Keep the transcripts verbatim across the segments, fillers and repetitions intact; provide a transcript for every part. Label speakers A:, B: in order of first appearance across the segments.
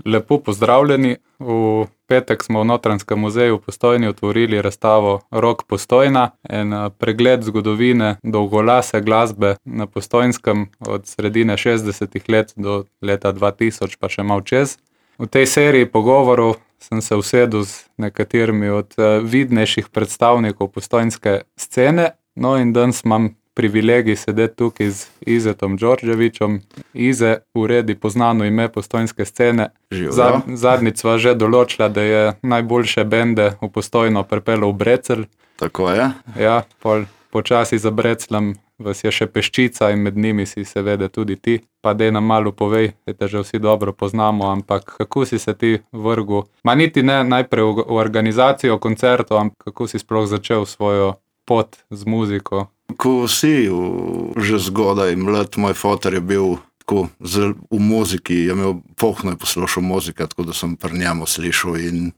A: lepo pozdravljeni. V petek smo v Notranjskem muzeju v Postojni otvorili razstavo Rock Postojna, en pregled zgodovine dolgolase glasbe na Postojnskem od sredine šestdesetih let do leta dva tisoč, pa še malo čez. V tej seriji pogovorov sem se usedel z nekaterimi od vidnejših predstavnikov postojnske scene, no in danes imam privilegij sedeti tukaj z Izetom Đorđevićem. Ize uredi poznano ime postojnske scene. Zad, zadnjič sva že določila, da je najboljše bende v Postojno pripeljal v Brecelj.
B: Tako je.
A: Ja, pol počasi za Brecljem vas je še peščica in med njimi si seveda tudi ti. Pa dej nam malo povej, da te že vsi dobro poznamo, ampak kako si se ti vrgel? Ma niti ne najprej v, v organizacijo koncertov, ampak kako si sploh začel svojo pot z muziko?
B: Ko si že zgodaj mlad, moj foter je bil tako zel, v muziki, je imel pohno je poslušal muzika, tako da sem pri njemu slišal in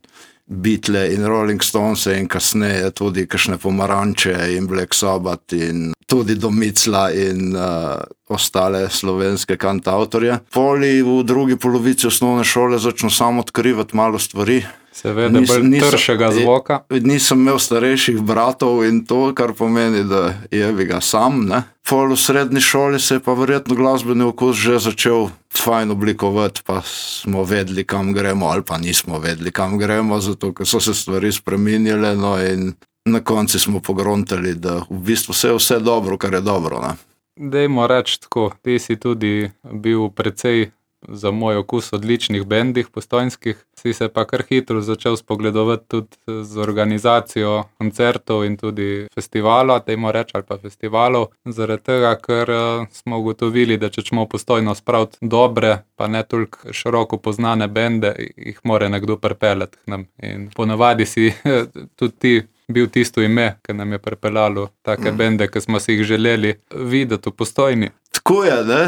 B: Beatle in Rolling Stones in kasneje tudi kakšne Pomaranče in Black Sabbath in tudi Domicla in uh, ostale slovenske kantautorje. Poli v drugi polovici osnovne šole začel sam odkrivati malo stvari.
A: Seveda bolj tršega zvoka.
B: Nisem imel starejših bratov in to, kar pomeni, da je bi ga sam, ne. Pol v srednji šoli se je pa verjetno glasbeni okus že začel fajn oblikovati, pa smo vedeli, kam gremo, ali pa nismo vedeli, kam gremo, zato ker so se stvari spreminjale, no in na konci smo pogruntali, da v bistvu vse je vse dobro, kar je dobro, ne.
A: Dejmo reči tako, ti si tudi bil precej za moj okus odličnih bendih postojnskih, si se pa kar hitro začel spogledovati tudi z organizacijo koncertov in tudi festivalov, dejmo reči, ali pa festivalov, zaradi tega, ker smo ugotovili, da če ćemo Postojno spraviti dobre, pa ne toliko široko poznane bende, jih mora nekdo pripeljati k nam. In ponavadi si tudi ti bil tisto ime, ki nam je pripeljalo take bende, ki smo si jih želeli videti v Postojni.
B: Tako je, ne.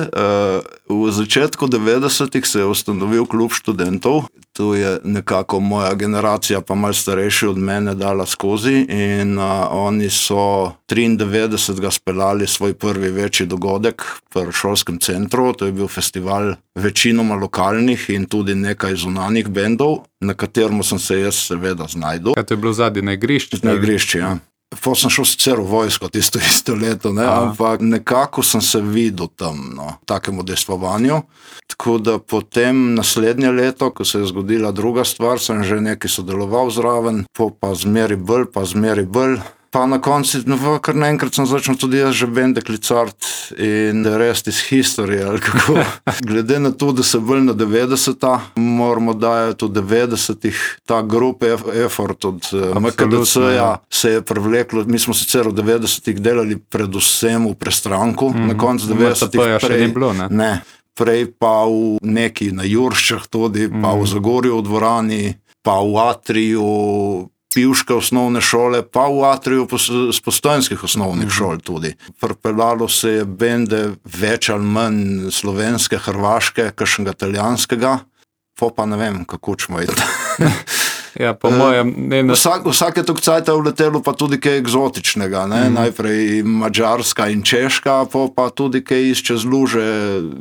B: V začetku devetdesetih se je ustanovil klub študentov. To je nekako moja generacija, pa malo starejši od mene, dala skozi in uh, oni so triindevetdesetega speljali svoj prvi večji dogodek v šolskem centru. To je bil festival večinoma lokalnih in tudi nekaj zunanih bendov, na katerem sem se jaz seveda znajdel.
A: Kaj to je bilo zadnji na igrišči?
B: Na igrišči, ja. Potem sem šel sicer v vojsko tisto isto leto, ne, ampak nekako sem se videl tam, no, takemu dejstvovanju. Tako da potem naslednje leto, ko se je zgodila druga stvar, sem že nekaj sodeloval zraven, po pa zmeri bolj, pa zmeri bolj. Pa na konci, no, kar naenkrat sem začel tudi jaz že bende klicati in the rest is history, ali kako. Glede na to, da se bolj na devetdeseta, moramo dajati v devetdesetih ta grup effort od M K D C-ja se je prevleklo. Mi smo sicer v devetdesetih delali predvsem v Prestranku, mm-hmm. na koncu devetdesetih prej,
A: bilo, ne?
B: Ne, prej pa v neki na Jurščah tudi, mm-hmm. pa v Zagorju v dvorani, pa v Atriju, pivške osnovne šole, pa v Atriju z postojnskih osnovnih mm-hmm. šol tudi. Pripeljalo se je bende več ali manj slovenske, hrvaške, kakšnega italijanskega, po pa ne vem, kako ćemo iti.
A: Ja, po mojem... Ne, ne...
B: Vsak, vsake tok cajta uletelo pa tudi kaj egzotičnega, ne? Mm. Najprej Mađarska in Češka, po pa tudi kaj iz čez luže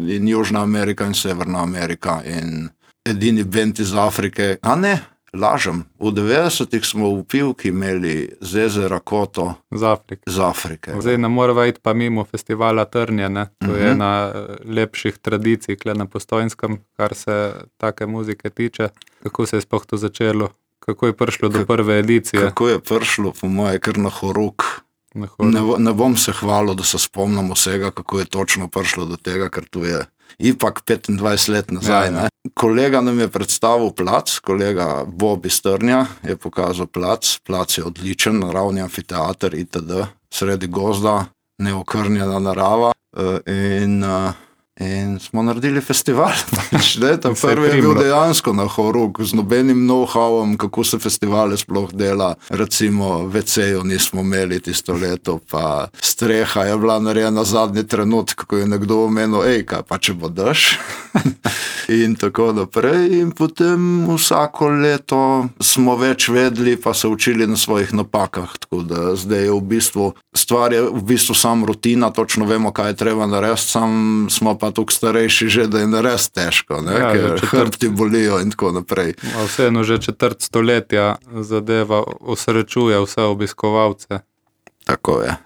B: in Južna Amerika in Severna Amerika in edini bend iz Afrike. A ne, lažem, v devetdesetih smo v Pivki imeli Zezera Koto
A: z Afrike.
B: Z Afrike.
A: Zdaj ne morava iti pa mimo festivala Trnje, ne? To mm-hmm. je ena lepših tradicij kle na Postojnskem, kar se take muzike tiče. Kako se je sploh to začelo? Kako je prišlo do prve edicije?
B: Kako je prišlo, po moje, kar na horuk. Na horuk. Ne, ne bom se hvalil, da se spomnim vsega, kako je točno prišlo do tega, ker tu je ipak petindvajset let nazaj. Ja, ja. Kolega nam je predstavil plac, kolega Bob iz Trnja je pokazal plac. Plac je odličen, naravni amfiteater itd. Sredi gozda, neokrnjena narava in... In smo naredili festival. Ta prvi je bil dejansko na horuk, z nobenim know-howom, kako se festivale sploh dela. Recimo ve ce-ju nismo imeli tisto leto, pa streha je bila narejena zadnji trenutek, ko je nekdo omenil, ej, kaj pa če bo dež? in tako naprej. In potem vsako leto smo več vedeli, pa se učili na svojih napakah. Tako da zdaj je v bistvu, stvar je v bistvu sam rutina, točno vemo, kaj je treba narediti, sam smo pa tukaj starejši že, da je narediti težko, ne? Ja, ker hrbti bolijo in tako naprej.
A: Vseeno že četrt stoletja zadeva osrečuje vse obiskovalce.
B: Tako je.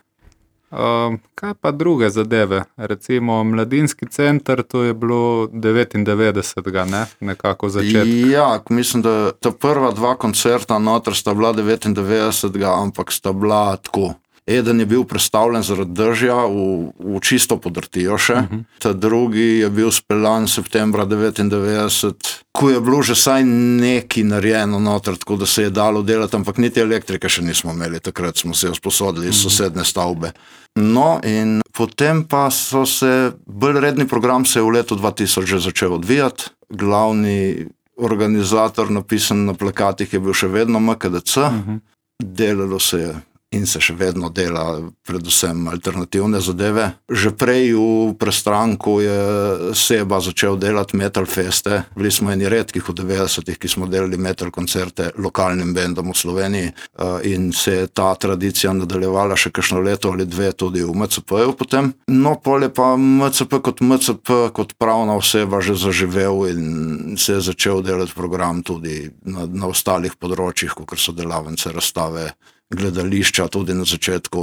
A: Um, kaj pa druge zadeve? Recimo Mladinski center, to je bilo devetindevetdesetega, ne? Nekako začetek.
B: Ja, mislim, da ta prva dva koncerta noter sta bila devetindevetdesetega, ampak sta bila tako. Eden je bil predstavljen zaradi dežja v, v čisto podrtijo še, uh-huh. Ta drugi je bil speljan septembra devetindevetdeset, ko je bilo že saj neki narejeno noter, tako da se je dalo delati, ampak niti elektrike še nismo imeli, takrat smo se jo sposodili iz uh-huh. sosedne stavbe. No in potem pa so se, bolj redni program se je v letu dva tisoč že začel odvijati, glavni organizator napisan na plakatih je bil še vedno M K D C, uh-huh. Delalo se je in se še vedno dela predvsem alternativne zadeve. Že prej v Prestranku je Seba začel delati metal feste. Bili smo eni redkih v devetdesetih, ki smo delali metal koncerte lokalnim bendom v Sloveniji in se je ta tradicija nadaljevala še kakšno leto ali dve tudi v M C P-ju potem. No, pol je pa M C P kot M C P, kot pravna oseba že zaživel in se je začel delati program tudi na, na ostalih področjih, kot so delavnice, razstave, gledališča tudi na začetku.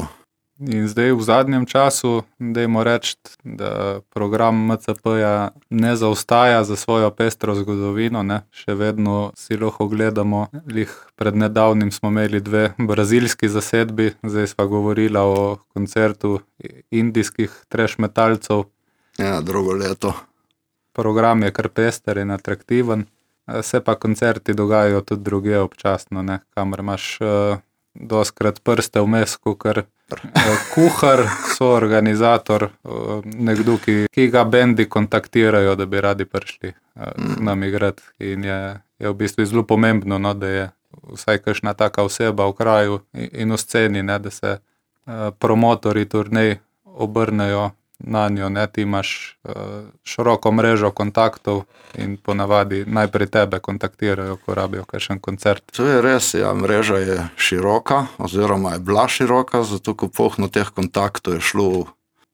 A: In zdaj v zadnjem času, dajmo reči, da program M C P-ja ne zaostaja za svojo pestro zgodovino, ne? Še vedno si lahko gledamo. Lih pred nedavnim smo imeli dve brazilski zasedbi, zdaj sva govorila o koncertu indijskih trash metalcev.
B: Ja, drugo leto.
A: Program je kar pester in atraktiven, se pa koncerti dogajajo tudi druge občasno, ne? Kamor imaš doskrat prste vmes, kakor kuhar, soorganizator, nekdo, ki, ki ga bendi kontaktirajo, da bi radi prišli k nam igrati. In je, je v bistvu zelo pomembno, no, da je vsaj kakšna taka oseba v kraju in v sceni, ne, da se promotori turnej obrnejo na njo, ne, ti imaš široko mrežo kontaktov in ponavadi najprej tebe kontaktirajo, ko rabijo kakšen koncert.
B: To je res, ja, mreža je široka, oziroma je bila široka, zato ko pohno teh kontaktov je šlo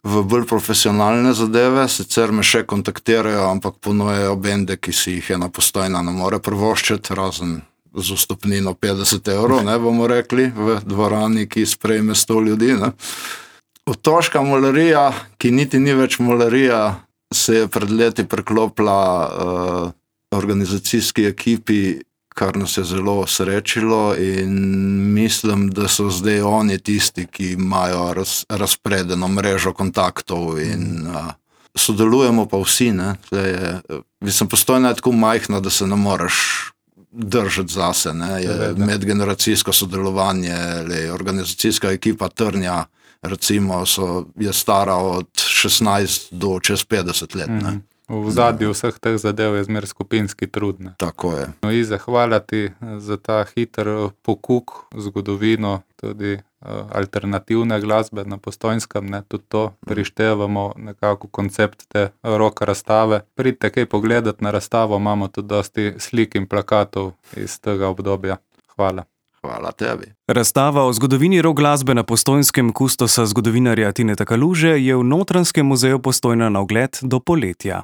B: v bolj profesionalne zadeve, sicer me še kontaktirajo, ampak ponujajo bende, ki si jih ena Postojna ne more privoščiti, razen z vstopnino petdeset evrov, ne bomo rekli, v dvorani, ki sprejme sto ljudi, ne. Otoška molarija, ki niti ni več molarija, se je pred leti preklopila uh, organizacijski ekipi, kar nas je zelo srečilo in mislim, da so zdaj oni tisti, ki imajo raz, razpredeno mrežo kontaktov in uh, sodelujemo pa vsi, ne. Je, mislim, Postojna je tako majhna, da se ne moreš držati zase, ne. Je medgeneracijsko sodelovanje, le, organizacijska ekipa Trnja, recimo, so, je stara od šestnajst do čez petdeset let. Ne?
A: V zadju vseh teh zadev je zmer skupinski trud. Ne?
B: Tako je.
A: No, Ize, hvala ti za ta hiter pokuk zgodovino, tudi uh, alternativne glasbe na Postojnskem, ne? Tudi to prištevamo nekako koncept te rock razstave. Pridite kaj pogledati na razstavo, imamo tudi dosti slik in plakatov iz tega obdobja. Hvala.
B: Hvala tebi.
C: Razstava o zgodovini rock glasbe na Postojnskem kustosa zgodovinarja Tineta Kaluže je v Notranjskem muzeju Postojna na ogled do poletja.